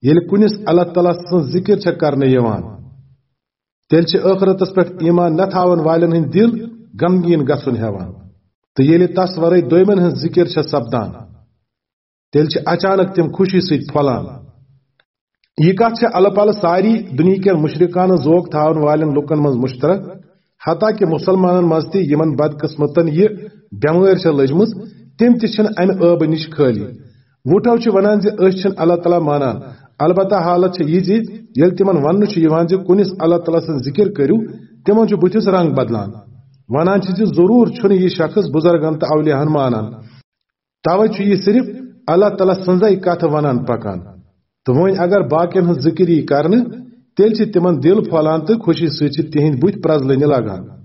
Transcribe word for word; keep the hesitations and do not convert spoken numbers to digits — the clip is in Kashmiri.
ییٚلہِ کُنِس اللہ تعالیٰ سٕنٛز ذِکِر چھےٚ کرنہٕ یِوان، تیٚلہِ چھِ ٲخرتس پٮ۪ٹھ ایمان نہ تھاون والٮ۪ن ہٕنٛدۍ دِل غمگیٖن گژھُن ہٮ۪وان۔ تہٕ ییٚلہِ تس ورٲے دوٚیمٮ۪ن ہٕنٛز ذِکِر چھےٚ سپدان، تیٚلہِ چھِ اچانک تِم خوشی سۭتۍ پھۄلان۔ یہِ کتھ چھےٚ الہٕ پلہٕ ساری دُنیہکٮ۪ن مُشرکانہٕ ذوق تھاون والٮ۪ن لُکن منٛز مُشترک، حتیٰ کہِ مُسلمانن منٛز تہِ یِمن بدقٕسمتن یہِ بٮ۪مٲرۍ چھےٚ لٔجمٕژ، تِم تہِ چھِنہٕ امہِ عٲبہٕ نِش خٲلی۔ وُٹھو چھِ ونان زِ أسۍ چھِنہٕ اللہ تعالیٰ مانان، البتہ حالت چھےٚ یہِ زِ ییٚلہِ تِمن وننہٕ چھُ یِوان زِ کُنِس اللہ تعالیٰ سٕنٛز ذِکِر کٔرِو، تِمن چھُ بُتھِس رنگ بدلان۔ ونان چھِ زِ ضروٗر چھُنہٕ یہِ شخص بُزرگن تہٕ اولیاہن مانان، توے چھُ یہِ صرف اللہ تعالیٰ سٕنٛزے کتھ ونان پکان۔ تہٕ وۄنۍ اگر باقین ہٕنٛز ذِکِر یی کرنہٕ، تیٚلہِ چھِ تِمن دِل پھۄلان تہٕ خوشی سۭتۍ چھِ تِہنٛدۍ بُتھۍ پرٛزلٕنہِ لگان۔